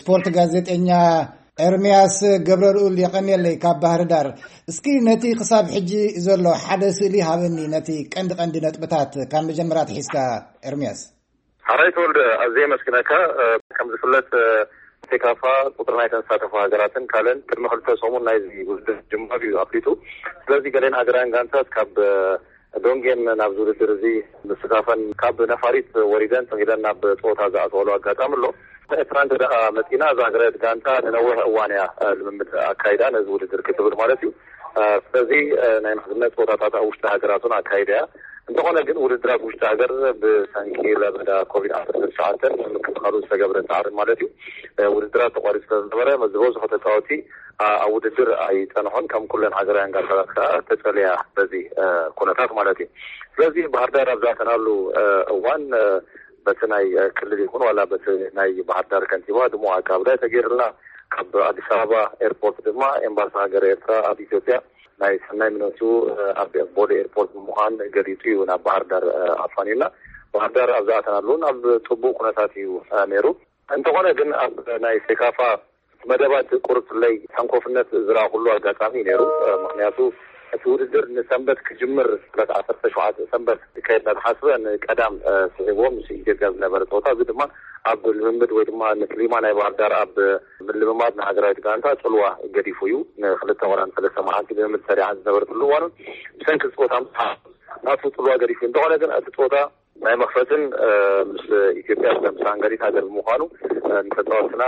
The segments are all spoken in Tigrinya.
ስፖርት ጋዜጠኛ ኤርምያስ ገብረልኡል፣ የቐንየለይ ካብ ባህር ዳር። እስኪ ነቲ ክሳብ ሕጂ ዘሎ ሓደ ስእሊ ሃበኒ፣ ነቲ ቀንዲ ቀንዲ ነጥብታት ካብ መጀመርያ ትሒዝካ ኤርምያስ። ሓራይ ተወልደ፣ ኣዝየ የመስግነካ። ከም ዝፍለጥ ሴካፋ ቁፅሪ ናይ ተሳተፉ ሃገራትን ካልእን ቅድሚ ክልተ ሰሙን ናይዚ ውድድር ጅማር እዩ ኣፍሊጡ። ስለዚ ገሌን ሃገራውያን ጋንታት ካብ ዶንጌን ናብዚ ውድድር እዚ ምስታፈን ካብ ነፋሪት ወሪደን ተኺለን ናብ ፀወታ ዝኣተወሉ ኣጋጣሚ ኣሎ። ኤርትራ እንተ ደኣ መፂና፣ እዛ ሃገራዊት ጋንታ ንነዊሕ እዋን እያ ልምምድ ኣካይዳ ነዚ ውድድር ክትብል ማለት እዩ። ስለዚ ናይ ምሕዝነት ፀወታታት ኣብ ውሽጢ ሃገራቱን ኣካይዳ እያ። እንተኾነ ግን ውድድራት ውሽጢ ሃገር ብሰንኪ ለበዳ ኮቪድ ዓሰርተ ትሽዓተ ንምክልኻሉ ዝተገብረ ፃዕሪ ማለት እዩ፣ ውድድራት ተቋሪፁ ስለዝነበረ ዝበዝሑ ተፃወቲ ኣብ ውድድር ኣይፀንሑን። ከም ኩለን ሃገራውያን ጋንታታት ከዓ ተፀልያ በዚ ኩነታት ማለት እዩ። ስለዚ ባህር ዳር ኣብ ዝኣተናሉ እዋን በቲ ናይ ክልል ይኹን ዋላ በቲ ናይ ባህር ዳር ከንቲባ ድሙቕ ኣቀባብላ ተገይርልና። ካብ ኣዲስ ኣበባ ኤርፖርት ድማ ኤምባሲ ሃገር ኤርትራ ኣብ ኢትዮጵያ ናይ ሰናይ ምነቱ ኣብ ቦሌ ኤርፖርት ብምዃን ገሊጹ እዩ ናብ ባህር ዳር ኣፋንዩና። ባህር ዳር ኣብ ዝኣተናሉ እውን ኣብ ጽቡቕ ኩነታት እዩ ነይሩ። እንተኾነ ግን ኣብ ናይ ሴካፋ መደባት ቁርብ ፍለይ ሰንኮፍነት ዝረኣኹሉ ኣጋጣሚ እዩ ነይሩ። ምኽንያቱ እቲ ውድድር ንሰንበት ክጅምር ዕለት ዓሰርተ ሸውዓተ ሰንበት ክካየድ እናተሓስበ ንቀዳም ስዒብዎ ምስ ኢትዮጵያ ዝነበረ ፀወታ፣ እዚ ድማ ኣብ ልምምድ ወይ ድማ ንክሊማ ናይ ባህር ዳር ኣብ ምልምማድ ንሃገራዊት ጋንታ ፅልዋ ገዲፉ እዩ። ንክልተ ወላ ንሰለስተ መዓልቲ ልምምድ ሰሪዓ ዝነበረትሉ እዋን እውን ብሰንኪ ፀወታ ምስ ናቱ ፅልዋ ገዲፉ እዩ። እንተኾነ ግን እቲ ፀወታ ናይ መኽፈትን ምስ ኢትዮጵያ ምስ ሃንጋሪት ሃገር ብምዃኑ ንተፃወትና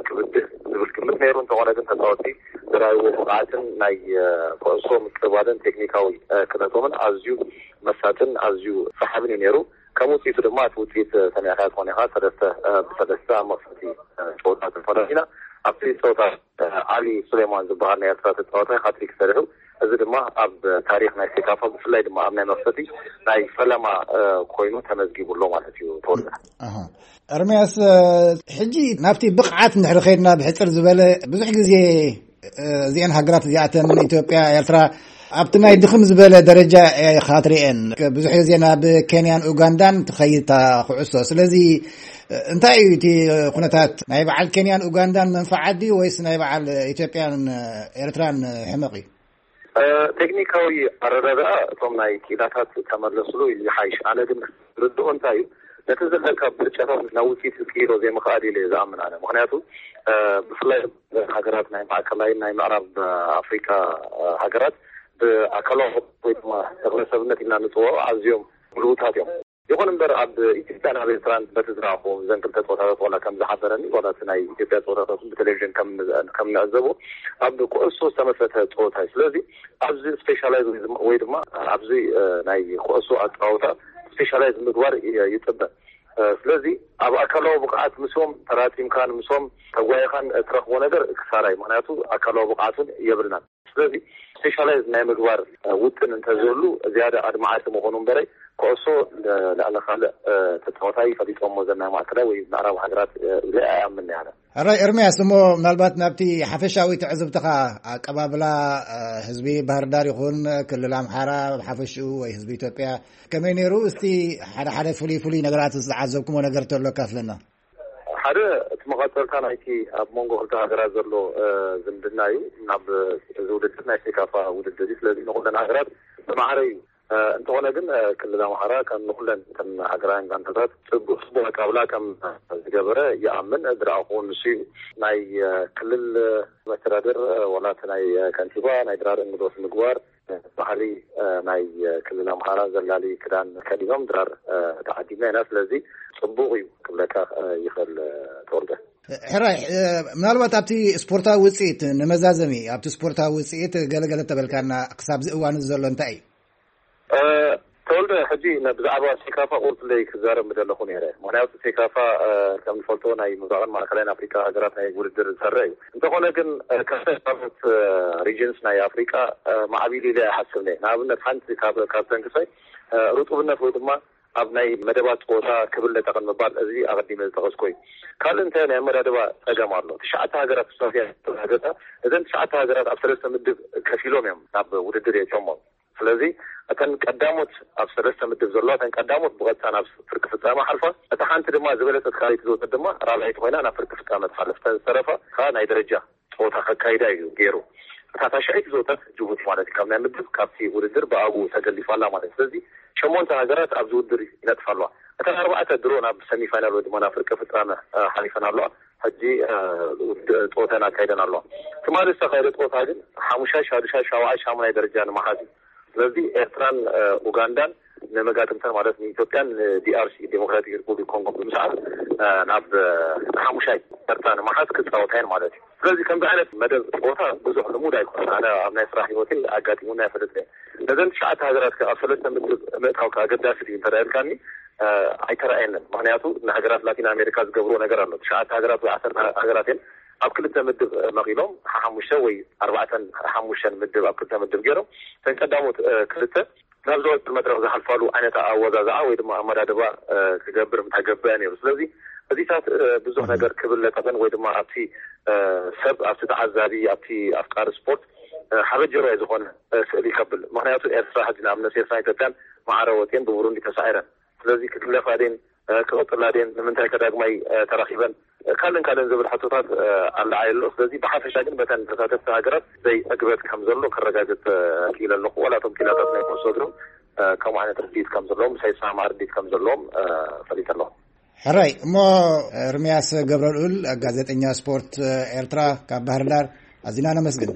ክብድህ ዝብል ግምት ነይሩ። እንተኾነ ግን ተፃወቲ ዝረኣይዎ ብቕዓትን ናይ ኩዕሶ ምቅባልን ቴክኒካዊ ክእለቶምን ኣዝዩ መሳጥን ኣዝዩ ሰሓብን እዩ ነይሩ። ከም ውፅኢቱ ድማ እቲ ውፅኢት ሰሚዕካ ትኾን ኢኻ፣ ሰለስተ ብሰለስተ ኣብ መኽፈቲ ፀወታ ተፈላሊና። ኣብቲ ፀወታ ዓሊ ሱሌማን ዝበሃል ናይ ኤርትራ ተፃዋታይ ሃትሪክ ሰሪሑ። እዚ ድማ ኣብ ታሪክ ናይ ሴካፋ ብፍላይ ድማ ኣብ ናይ መኽፈቲ ናይ ፈለማ ኮይኑ ተመዝጊቡ ኣሎ ማለት እዩ። ተወልደ። ኣርምያስ፣ ሕጂ ናብቲ ብቕዓት እንድሕሪ ከይድና ብሕፅር ዝበለ ብዙሕ ግዜ እዚአን ሃገራት እዚኣተን ኢትዮጵያ፣ ኤርትራ ኣብቲ ናይ ድኽም ዝበለ ደረጃ ኢኻ ትርእየን። ብዙሕ ግዜ ናብ ኬንያን ኡጋንዳን ትኸይድ እታ ኩዕሶ። ስለዚ እንታይ እዩ እቲ ኩነታት? ናይ በዓል ኬንያን ኡጋንዳን መንፈዓት ድዩ ወይስ ናይ በዓል ኢትዮጵያን ኤርትራን ሕመቕ እዩ? ቴክኒካዊ ኣረዳድኣ እቶም ናይ ክኢላታት ተመለስሉ ይሓይሽ። ኣነ ግን ርድኦ እንታይ እዩ፣ ነቲ ዘለካ ብርጫታት ናብ ውፅኢት ክቅይሮ ዘይምኽኣል ኢለ እየ ዝኣምን ኣነ። ምኽንያቱ ብፍላይ ሃገራት ናይ ማእከላይ ናይ ምዕራብ ኣፍሪካ ሃገራት ብኣካላዊ ወይ ድማ ተክለሰብነት ኢልና ንፅውዖ ኣዝዮም ብልውታት እዮም። ይኹን እምበር ኣብ ኢትዮጵያን ኣብ ኤርትራን በቲ ዝረኣኹ እዘን ክልተ ፀወታታት ዋላ ከም ዝሓበረኒ ዋላ እቲ ናይ ኢትዮጵያ ፀወታታት ብቴሌቪዥን ከም ንዕዘቦ ኣብ ኩዕሶ ዝተመስረተ ፀወታ እዩ። ስለዚ ኣብዚ ስፔሻላይዝ ወይ ድማ ኣብዚ ናይ ኩዕሶ ኣፀዋውታ ስፔሻላይዝ ምግባር ይፅበ። ስለዚ ኣብ ኣካላዊ ብቕዓት ምስኦም ተራቲምካን ምስኦም ተጓይኻን ትረኽቦ ነገር ክሳራ እዩ። ምኽንያቱ ኣካላዊ ብቕዓት እውን የብልናን። ስለዚ ስፔሻላይዝ ናይ ምግባር ውጥን እንተዝህሉ ዝያዳ ኣድማዓቲ ምኾኑ እምበረይ ኩዕሶ ልዕሊ ካልእ ተፃወታይ ፈሊጦሞ ዘናይ ማእከላይ ወይ ምዕራብ ሃገራት ኢለ ኣይኣምን ኣነ። ሕራይ ኤርምያስ፣ እሞ ምናልባት ናብቲ ሓፈሻዊ ትዕዝብትኻ ኣቀባብላ ህዝቢ ባህር ዳር ይኹን ክልል ኣምሓራ ብሓፈሽኡ ወይ ህዝቢ ኢትዮጵያ ከመይ ነይሩ? እስቲ ሓደ ሓደ ፍሉይ ፍሉይ ነገራት ዝዓዘብኩሞ ነገር ተሎ ካፍለና። ሓደ እቲ መቐፀልታ ናይቲ ኣብ መንጎ ክልተ ሃገራት ዘሎ ዝምድና እዩ። ናብ እዚ ውድድር ናይ ሴካፋ ውድድር እዩ። ስለዚ ንኩለን ሃገራት ብማዕረ እዩ። እንተኾነ ግን ክልል ኣምሓራ ከም ንኩለን እተን ሃገራውያን ጋንታታት ፅቡቅ ፅቡቅ ኣቃብላ ከም ዝገበረ ይኣምን። ዝረኣኹ ንሱ እዩ። ናይ ክልል መስተዳድር ዋላ እቲ ናይ ከንቲባ ናይ ድራር እንግዶት ምግባር ባህሊ ናይ ክልል ኣምሓራ ዘላሊ ክዳን ከዲኖም ድራር ተዓዲምና ኢና። ስለዚ ፅቡቅ እዩ ክብለካ ይኽእል። ተወልደ። ሕራይ፣ ምናልባት ኣብቲ ስፖርታዊ ውፅኢት ንመዛዘሚ ኣብቲ ስፖርታዊ ውፅኢት ገለገለ ተበልካና ክሳብ እዚ እዋን ዘሎ እንታይ እዩ? ተወልደ፣ ሕጂ ብዛዕባ ሴካፋ ቁርፅለይ ክዛረብ ምደለኹ ነይረ። ምክንያቱ ሴካፋ ከም ንፈልጦ ናይ ምብራቕን ማእከላይን ኣፍሪካ ሃገራት ናይ ውድድር ዝሰርዕ እዩ። እንተኾነ ግን ካብተን ካልኦት ሪጅንስ ናይ ኣፍሪካ ማዕቢሉ ኢለ ኣይሓስብን እየ። ንኣብነት ሓንቲ ካብ ካብተን ክሳይ ርጡብነት ወይ ድማ ኣብ ናይ መደባት ፀወታ ክብል ለጠቕን ምባል እዚ ኣቐዲመ ዝጠቐስኮ እዩ። ካልእ እንታይ ናይ ኣመዳድባ ፀገም ኣሎ። ትሽዓተ ሃገራት ተሳትፊያ ተረጋገፀ። እዘን ትሽዓተ ሃገራት ኣብ ሰለስተ ምድብ ከፊሎም እዮም ናብ ውድድር የእትዮሞ። ስለዚ እተን ቀዳሞት ኣብ ሰለስተ ምድብ ዘለዋ እተን ቀዳሞት ብቐጥታ ናብ ፍርቂ ፍጻመ ሓልፋ፣ እታ ሓንቲ ድማ ዝበለጸት ካልኣይቲ ዝወጸት ድማ ራብዐይቲ ኮይና ናብ ፍርቂ ፍጻመ ትሓልፍ። እተን ዝተረፋ ከዓ ናይ ደረጃ ጸወታ ከካይዳ እዩ ገይሩ። እታ ታሽዐይቲ ዝወጸት ጅቡቲ ማለት እዩ፣ ካብ ናይ ምድብ ካብቲ ውድድር ብኣግኡ ተገሊፋ ኣላ ማለት እዩ። ስለዚ ሸሞንተ ሃገራት ኣብዚ ውድድር ይነጥፋ ኣለዋ። እተን ኣርባዕተ ድሮ ናብ ሰሚፋይናል ወይ ድማ ናብ ፍርቂ ፍጻመ ሓሊፈን ኣለዋ። ሕጂ ጸወተን ኣካይደን ኣለዋ። ትማሊ ዝተኻየደ ጸወታ ግን ሓሙሻይ፣ ሻዱሻይ፣ ሻውዓይ፣ ሻሙናይ ደረጃ ንምሓዝ እዩ። ስለዚ ኤርትራን ኡጋንዳን ንመጋጥምተን ማለት ንኢትዮጵያን ንዲኣርሲ ዴሞክራቲክ ሪፑብሊክ ኮንጎ ብምስዓር ናብ ሓሙሻይ ተርታ ንምሓዝ ክጻወታ እየን ማለት እዩ። ስለዚ ከምዚ ዓይነት መደብ ጸወታ ብዙሕ ልሙድ ኣይኮነን። ኣነ ኣብ ናይ ስራሕ ህይወተይ ኣጋጢሙና ኣይፈልጥን። ነዘን ትሽዓተ ሃገራት ከ ኣብ ሰለስተ ምድብ ምእታው ከ ኣገዳሲ ድዩ እንተ ኢልካኒ፣ ኣይተረኣየንን። ምክንያቱ ንሃገራት ላቲን ኣሜሪካ ዝገብርዎ ነገር ኣሎ። ትሽዓተ ሃገራት ወይ ዓሰርተ ሃገራት እየን ኣብ ክልተ ምድብ መቒሎም ሓሙሽተ ወይ ኣርባዕተን ሓሙሽተን ምድብ ኣብ ክልተ ምድብ ገይሮም እተን ቀዳሞት ክልተ ናብ ዝወፅእ መድረክ ዝሓልፋሉ ዓይነት ኣወዛዝዓ ወይ ድማ ኣመዳድባ ክገብር ምተገብአ ነይሩ። ስለዚ እዚታት ብዙሕ ነገር ክብል ለጠፈን ወይ ድማ ኣብቲ ሰብ፣ ኣብቲ ተዓዛቢ፣ ኣብቲ ኣፍቃሪ ስፖርት ሓበጀራይ ዝኾነ ስእሊ ከብል። ምክንያቱ ኤርትራ ሕጂ ንኣብነት ኤርትራን ኢትዮጵያን ማዕረ ወፅየን ብቡሩንዲ ተሳዒረን። ስለዚ ክግለፋ ድየን ክቕፅላ ድየን ንምንታይ ከዳግማይ ተራኺበን ካልእን ካልእን ዝብል ሕቶታት ኣለዓይ ኣሎ። ስለዚ ብሓፈሻ ግን በተን ተሳተፍቲ ሃገራት ዘይዕግበት ከም ዘሎ ከረጋግፅ ክኢለ ኣለኹ። ዋላ እቶም ኪላታት ናይ ኩዕሶ እግርም ከምኡ ዓይነት ርድኢት ከም ዘለዎም፣ ምሳይ ዝሰማማዕ ርድኢት ከም ዘለዎም ፈሊጠ ኣለኹ። ሕራይ እሞ፣ ኤርምያስ ገብረልኡል፣ ጋዜጠኛ ስፖርት ኤርትራ ካብ ባህር ዳር፣ ኣዚና ነመስግን።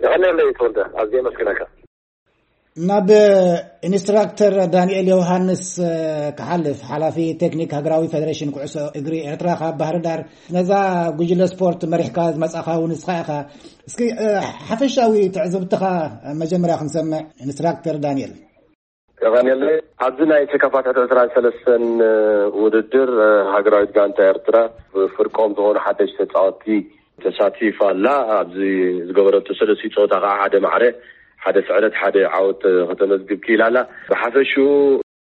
የቐንየለይ ተወልደ፣ ኣዝየ የመስግነካ። ናብ ኢንስትራክተር ዳንኤል ዮሃንስ ክሓልፍ፣ ሓላፊ ቴክኒክ ሃገራዊ ፌደሬሽን ኩዕሶ እግሪ ኤርትራ ካብ ባህር ዳር፣ ነዛ ጉጅለ ስፖርት መሪሕካ ዝመጻኻ እውን ንስኻ ኢኻ። እስኪ ሓፈሻዊ ትዕዝብትኻ መጀመርያ ክንሰምዕ ኢንስትራክተር ዳንኤል። ቀኒለ ኣብዚ ናይ ሴካፋ ትሕቲ ዕስራን ሰለስተን ውድድር ሃገራዊት ጋንታ ኤርትራ ብፍርቆም ዝኾኑ ሓደሽቲ ተጻወትቲ ተሳቲፋ ኣላ። ኣብዚ ዝገበረቶ ሰለስቲ ጸወታ ከዓ ሓደ ማዕረ፣ ሓደ ስዕረት፣ ሓደ ዓወት ከተመዝግብ ክኢላ ኣላ። ብሓፈሽኡ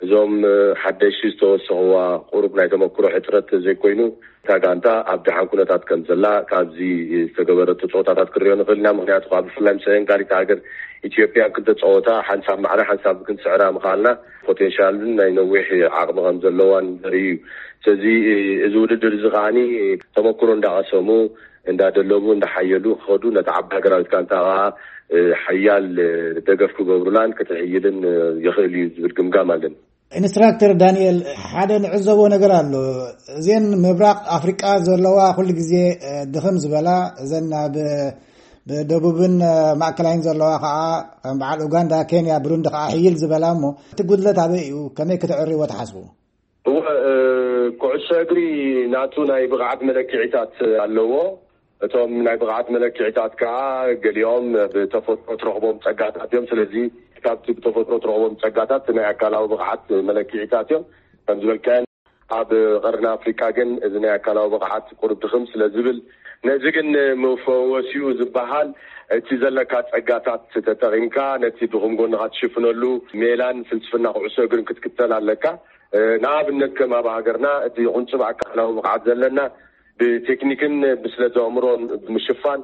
እዞም ሓደሽቲ ዝተወሰኽዋ ቁሩብ ናይ ተመክሮ ሕፅረት ዘይኮይኑ፣ እታ ጋንታ ኣብ ደሓን ኩነታት ከም ዘላ ካብዚ ዝተገበረቶ ፀወታታት ክንሪኦ ንኽእል ኢና። ምክንያቱ ከዓ ብፍላይ ምስ ኣየንጋሪት ሃገር ኢትዮጵያ ክልተ ፀወታ ሓንሳብ ማዕረ ሓንሳብ ክንስዕራ ምኽኣልና ፖቴንሻልን ናይ ነዊሕ ዓቕሚ ከም ዘለዋን ዘርኢ እዩ። ስለዚ እዚ ውድድር እዚ ከዓኒ ተመክሮ እንዳቐሰሙ እንዳደለቡ እንዳሓየሉ ክኸዱ ነቲ ዓባይ ሃገራዊት ጋንታ ከዓ ሓያል ደገፍ ክገብሩላን ክትሕይልን ይኽእል እዩ ዝብል ግምጋም ኣለኒ። ኢንስትራክተር ዳንኤል፣ ሓደ ንዕዘቦ ነገር ኣሎ። እዘን ምብራቕ ኣፍሪቃ ዘለዋ ኩሉ ግዜ ድኽም ዝበላ፣ እዘን ኣብ ብደቡብን ማእከላይን ዘለዋ ከዓ ከም በዓል ኡጋንዳ፣ ኬንያ፣ ብሩንዲ ከዓ ሕይል ዝበላ እሞ እቲ ጉድለት ኣበይ እዩ? ከመይ ክትዕርይዎ ትሓስቡ? እወ፣ ኩዕሶ እግሪ ናቱ ናይ ብቕዓት መለክዒታት ኣለዎ። እቶም ናይ ብቕዓት መለክዒታት ከዓ ገሊኦም ብተፈጥሮ ትረኽቦም ጸጋታት እዮም። ስለዚ ካብቲ ብተፈጥሮ ትረኽቦም ጸጋታት ናይ ኣካላዊ ብቕዓት መለክዒታት እዮም። ከም ዝበልካዮ ኣብ ቀርኒ ኣፍሪቃ ግን እዚ ናይ ኣካላዊ ብቕዓት ቁሩብ ድኽም ስለ ዝብል፣ ነዚ ግን መፈወሲኡ ዝበሃል እቲ ዘለካ ጸጋታት ተጠቒምካ ነቲ ድኹም ጎንኻ ትሽፍነሉ ሜላን ፍልስፍና ኩዕሶ እግርን ክትክተል ኣለካ። ንኣብነት ከም ኣብ ሃገርና እቲ ቁንጽብ ኣካላዊ ብቕዓት ዘለና ብቴክኒክን ብስለት ኣእምሮን ብምሽፋን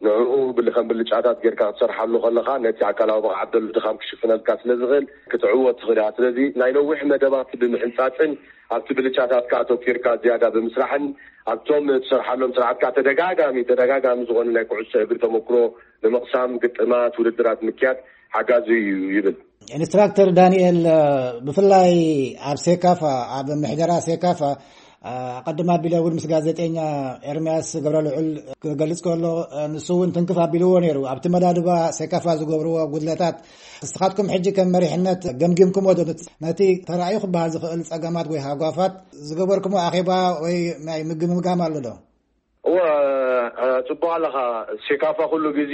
ንዕኡ ብልከም ብልጫታት ጌርካ ክትሰርሓሉ ከለኻ ነቲ ኣካላዊ ብቕዓት ዘሎ ድኻም ክሽፍነልካ ስለ ዝኽእል ክትዕወት ትኽእል እያ። ስለዚ ናይ ነዊሕ መደባት ብምሕንጻጽን ኣብቲ ብልጫታትካ ኣተኪርካ ዝያዳ ብምስራሕን ኣብቶም ትሰርሓሎም ስራሕትካ ተደጋጋሚ ተደጋጋሚ ዝኾነ ናይ ኩዕሶ እግሪ ተመክሮ ንምቕሳም ግጥማት ውድድራት ምክያድ ሓጋዚ እዩ ይብል። ኢንስትራክተር ዳንኤል፣ ብፍላይ ኣብ ሴካፋ፣ ኣብ ምሕደራ ሴካፋ ኣቐድም ኣቢለ እውን ምስ ጋዜጠኛ ኤርምያስ ገብረልዑል ክገልጽ ከሎ፣ ንሱ እውን ትንክፍ ኣቢልዎ ነይሩ። ኣብቲ መዳድባ ሴካፋ ዝገብርዎ ጉድለታት ንስኻትኩም ሕጂ ከም መሪሕነት ገምጊምኩሞ ዶ? ነቲ ተራእዩ ክበሃል ዝኽእል ጸገማት ወይ ሃጓፋት ዝገበርኩሞ ኣኼባ ወይ ናይ ምግምጋም ኣሎ ዶ? እወ፣ ጽቡቕ ኣለኻ። ሴካፋ ኩሉ ግዜ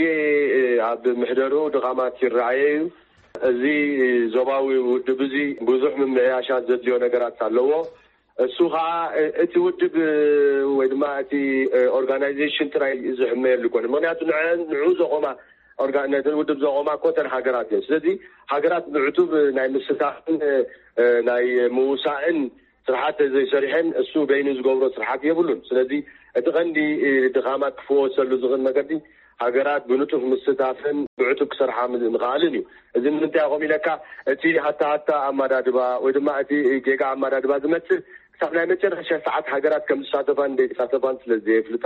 ኣብ ምሕደርኡ ድኻማት ይረኣየ እዩ። እዚ ዞባዊ ውድብ እዚ ብዙሕ ምምዕያሻት ዘድልዮ ነገራት ኣለዎ። እሱ ኸዓ እቲ ውድብ ወይ ድማ እቲ ኦርጋናይዜሽን ጥራይ ዝሕመየሉ ይኮነ። ምክንያቱ ንዐ- ንዑ ዘቆማ ኦርጋ- ነቲ ውድብ ዘቆማ እኮ እተን ሃገራት እየን። ስለዚ ሃገራት ብዕቱብ ናይ ምስታፍን ናይ ምውሳእን ስርሓት ዘይሰሪሐን እሱ በይኑ ዝገብሮ ስርሓት የብሉን። ስለዚ እቲ ቀንዲ ድኻማት ክፍወሰሉ ዝኽእል መገዲ ሃገራት ብንጡፍ ምስታፍን ብዕቱብ ክሰርሓ ምኽኣልን እዩ። እዚ ንምንታይ ከምኡ ኢለካ፣ እቲ ሃታ ሃታ ኣማዳድባ ወይ ድማ እቲ ጌጋ ኣማዳድባ ዝመጽእ ክሳብ ናይ መጨረሻ ሰዓት ሃገራት ከም ዝሳተፋን ዘይተሳተፋን ስለ ዘየፍልጣ፣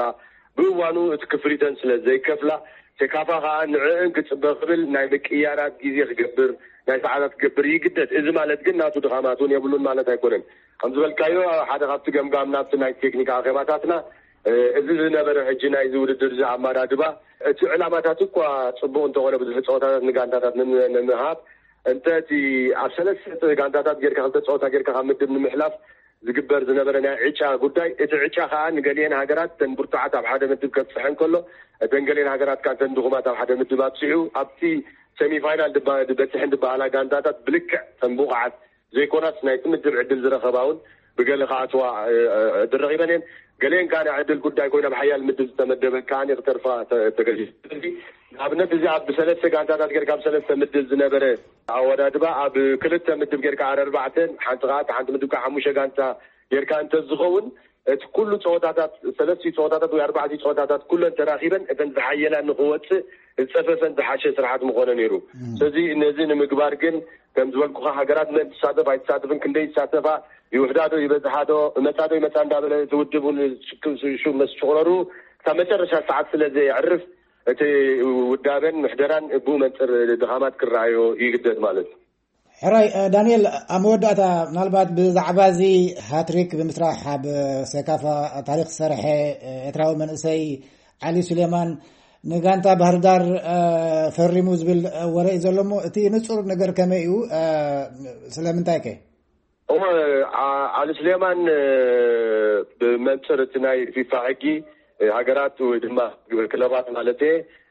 ብእዋኑ እቲ ክፍሊተን ስለ ዘይከፍላ፣ ሴካፋ ከኣ ንዕእን ክጽበ ክብል ናይ ምቅያራት ግዜ ክገብር፣ ናይ ሰዓታት ክገብር ይግደድ። እዚ ማለት ግን ናቱ ድኻማት እውን የብሉን ማለት ኣይኮነን። ከም ዝበልካዮ ሓደ ካብቲ ገምጋም ናብቲ ናይ ቴክኒክ ኣኼባታትና እዚ ዝነበረ ሕጂ ናይዚ ውድድር እዚ ኣማዳድባ እቲ ዕላማታት እኳ ጽቡቕ እንተኾነ ብዙሕ ጸወታታት ንጋንታታት ንምሃብ እንተ እቲ ኣብ ሰለስተ ጋንታታት ጌርካ ክልተ ጸወታ ጌርካ ካብ ምድብ ንምሕላፍ ዝግበር ዝነበረ ናይ ዕጫ ጉዳይ፣ እቲ ዕጫ ከኣ ንገሊኤን ሃገራት ተን ብርቱዓት ኣብ ሓደ ምድብ ከብጽሐን ከሎ፣ እተን ገሊኤን ሃገራት ከኣ ተን ድኹማት ኣብ ሓደ ምድብ ኣብጽሑ ኣብቲ ሴሚፋይናል በጽሕን ዝበሃላ ጋንታታት ብልክዕ ተን ብቑዓት ዘይኮናስ ናይቲ ምድብ ዕድል ዝረኸባ እውን ብገለ ከኣትዋ ዕድል ረኺበን እየን። ገሊኤን ከኣ ናይ ዕድል ጉዳይ ኮይኑ ኣብ ሓያል ምድብ ዝተመደበ ከኣ ክተርፋ ተገዲዱ። ንኣብነት እዚ ኣብ ሰለስተ ጋንታታት ጌርካ ኣብ ሰለስተ ምድብ ዝነበረ ኣወዳድባ ኣብ ክልተ ምድብ ጌርካ ኣረርባዕተን ሓንቲ ከኣ ሓንቲ ምድብ ከኣ ሓሙሽተ ጋንታ ጌርካ እንተዝኸውን እቲ ኩሉ ፀወታታት ሰለስቲ ፀወታታት ወይ ኣርባዕቲ ፀወታታት ኩለን ተራኺበን እተን ዝሓየላ ንክወፅእ ዝፀፈፈን ዝሓሸ ስርሓት ምኾነ ነይሩ። ስለዚ ነዚ ንምግባር ግን ከም ዝበልኩኻ ሃገራት መን ትሳተፍ ኣይትሳተፍን ክንደይ ይሳተፋ ይውሕዳዶ ይበዝሓዶ እመፃዶ ይመፃ እንዳበለ እቲ ውድብ እውን ሽሹ መስጭቕረሩ ክሳብ መጨረሻ ሰዓት ስለ ዘየዕርፍ እቲ ውዳበን ምሕደራን ብኡ መንፅር ድኻማት ክረኣዮ ይግደድ ማለት እዩ። ሕራይ ዳንኤል፣ ኣብ መወዳእታ ምናልባት ብዛዕባ እዚ ሃትሪክ ብምስራሕ ኣብ ሴካፋ ታሪክ ዝሰርሐ ኤርትራዊ መንእሰይ ዓሊ ሱሌማን ንጋንታ ባህርዳር ፈሪሙ ዝብል ወረ እዩ ዘሎ እሞ እቲ ንጹር ነገር ከመይ እዩ? ስለምንታይ ከ? እሞ ዓሊ ሱሌማን ብመንፅር እቲ ናይ ፊፋ ሕጊ ሃገራት ወይ ድማ ክለባት ማለት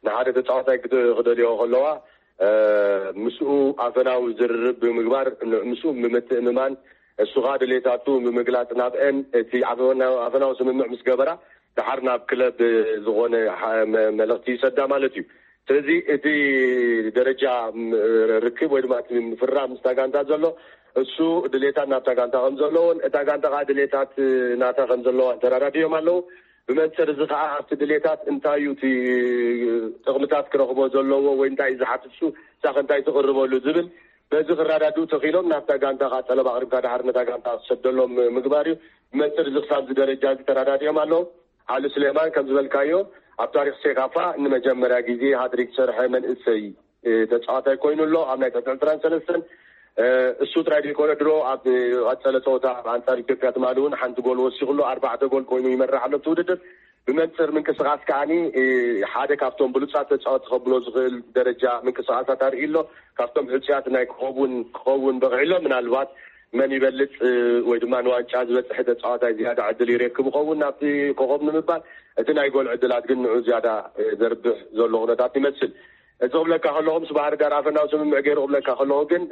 ንሓደ ተፃዋታይ ክደልዮ ከለዋ ምስኡ ኣፈናዊ ዝርርብ ብምግባር ምስኡ ብምትእምማን እሱ ከዓ ድሌታቱ ብምግላፅ ናብአን እቲ ኣፈናዊ ስምምዕ ምስ ገበራ ደሓር ናብ ክለብ ዝኾነ መልእክቲ ይሰዳ ማለት እዩ። ስለዚ እቲ ደረጃ ርክብ ወይ ድማ ምፍራም ምስታ ጋንታ ዘሎ እሱ ድሌታት ናብታ ጋንታ ከም ዘለዎን እታ ጋንታ ከዓ ድሌታት ናታ ከም ዘለዋ ተረዳዲኦም ኣለዉ። ብመንፅር እዚ ከዓ ኣብቲ ድሌታት እንታይ እዩ እቲ ጥቕምታት ክረኽቦ ዘለዎ ወይ እንታይ እዩ ዝሓትት እሱ እሳኸ እንታይ ትቕርበሉ ዝብል በዚ ክረዳድኡ ተኽኢሎም ናብታ ጋንታ ከዓ ጠለብ ኣቕሪብካ ድሓር ነታ ጋንታ ክሰደሎም ምግባር እዩ። ብመንፅር እዚ ክሳብ እዚ ደረጃ እዚ ተረዳዲኦም ኣለዉ። ዓሊ ስሌማን ከም ዝበልካዮ ኣብ ታሪክ ሴካፋ ንመጀመርያ ግዜ ሃትሪክ ዝሰርሐ መንእሰይ ተፃዋታይ ኮይኑ ኣሎ ኣብ ናይ ትሕቲ ዕስራን ሰለስተን እሱ ጥራይ ዘይኮነ ድሮ ኣብ ቀፀለ ፀወታ ኣንፃር ኢትዮጵያ ትማሊ እውን ሓንቲ ጎል ወሲኹ ኣሎ ኣርባዕተ ጎል ኮይኑ ይመርሕ ኣሎ እቲ ውድድር ብመንፅር ምንቅስቃስ ከዓኒ ሓደ ካብቶም ብሉፃት ተፃወቲ ከብሎ ዝኽእል ደረጃ ምንቅስቃሳት ኣርኢ ኣሎ ካብቶም ሕፅያት ናይ ክኸውን ክኸውን በቂዑ ኣሎ ምናልባት መን ይበልፅ ወይ ድማ ንዋንጫ ዝበፅሐ ተፃዋታይ ዝያዳ ዕድል ይረክብ ይኸውን ናብቲ ኮኸብ ንምባል እቲ ናይ ጎል ዕድላት ግን ንዑ ዝያዳ ዘርብሕ ዘሎ ኩነታት ይመስል እዚ ክብለካ ከለኹ ምስ ባህር ዳር ኣፈናዊ ስምምዕ ገይሩ ክብለካ ከለኹ ግን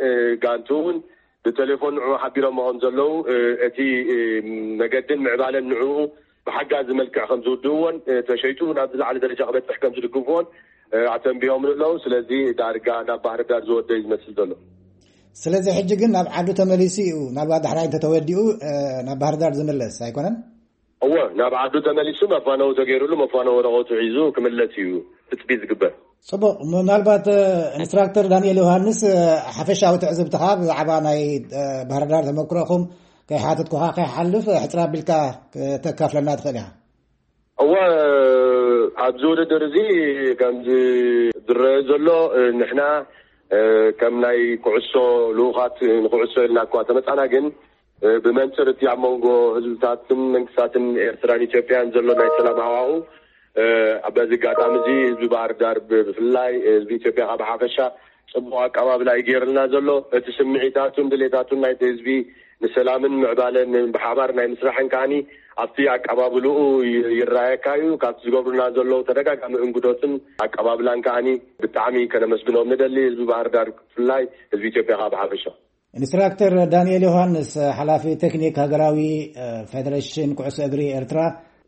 ጋንቱ እውን ብቴሌፎን ንዑ ሓቢሮሞ ከም ዘለዉ እቲ መገድን ምዕባለን ንዑ ብሓጋዚ መልክዕ ከም ዝውድእዎን ተሸይጡ ናብ ዝለዓለ ደረጃ ክበፅሕ ከም ዝድግፍዎን ኣተንቢሆም ኣለዉ ስለዚ ዳርጋ ናብ ባህር ዳር ዝወደይ ዝመስል ዘሎ ስለዚ ሕጂ ግን ናብ ዓዱ ተመሊሱ እዩ ምናልባት ዳሕራይ እንተተወዲኡ ናብ ባህር ዳር ዝምለስ ኣይኮነን እወ ናብ ዓዱ ተመሊሱ መፋነዊ ተገይሩሉ መፋነዊ ወረቐቱ ሒዙ ክምለስ እዩ ትፅቢት ዝግበር ፅቡቕ ምናልባት ኢንስትራክተር ዳንኤል ዮሃንስ ሓፈሻዊ ትዕዝብትኻ ብዛዕባ ናይ ባህርዳር ተመክሮኹም ከይሓተትኩኻ ከይሓልፍ ሕፅር ኣቢልካ ከተካፍለና ትኽእል ኢኻ እወ ኣብዚ ውድድር እዚ ከምዚ ዝረአ ዘሎ ንሕና ከም ናይ ኩዕሶ ልኡኻት ንኩዕሶ ኢልና እኳ ተመፃና ግን ብመንፅር እቲ ኣብ መንጎ ህዝብታትን መንግስታትን ኤርትራን ኢትዮጵያን ዘሎ ናይ ሰላም ሃዋሁ በዚ ኣጋጣሚ እዚ ህዝቢ ባህር ዳር ብፍላይ ህዝቢ ኢትዮጵያ ካብ ሓፈሻ ፅቡቅ ኣቀባብላ እዩ ገይርልና ዘሎ እቲ ስምዒታቱን ድሌታቱን ናይቲ ህዝቢ ንሰላምን ምዕባለን ብሓባር ናይ ምስራሕን ከዓኒ ኣብቲ ኣቀባብልኡ ይረኣየካ እዩ ካብቲ ዝገብሩና ዘለዉ ተደጋጋሚ እንግዶትን ኣቀባብላን ከዓኒ ብጣዕሚ ከነመስግኖም ንደሊ ህዝቢ ባህር ዳር ብፍላይ ህዝቢ ኢትዮጵያ ከዓ ብሓፈሻ ኢንስትራክተር ዳንኤል ዮሃንስ ሓላፊ ቴክኒክ ሃገራዊ ፌደሬሽን ኩዕሶ እግሪ ኤርትራ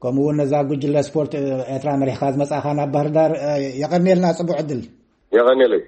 ከምኡ እውን ነዛ ጉጅለ ስፖርት ኤርትራ መሪሕካ ዝመፃእካ ናብ ባህር ዳር የቐንየልና ፅቡቅ ዕድል የቐንየለይ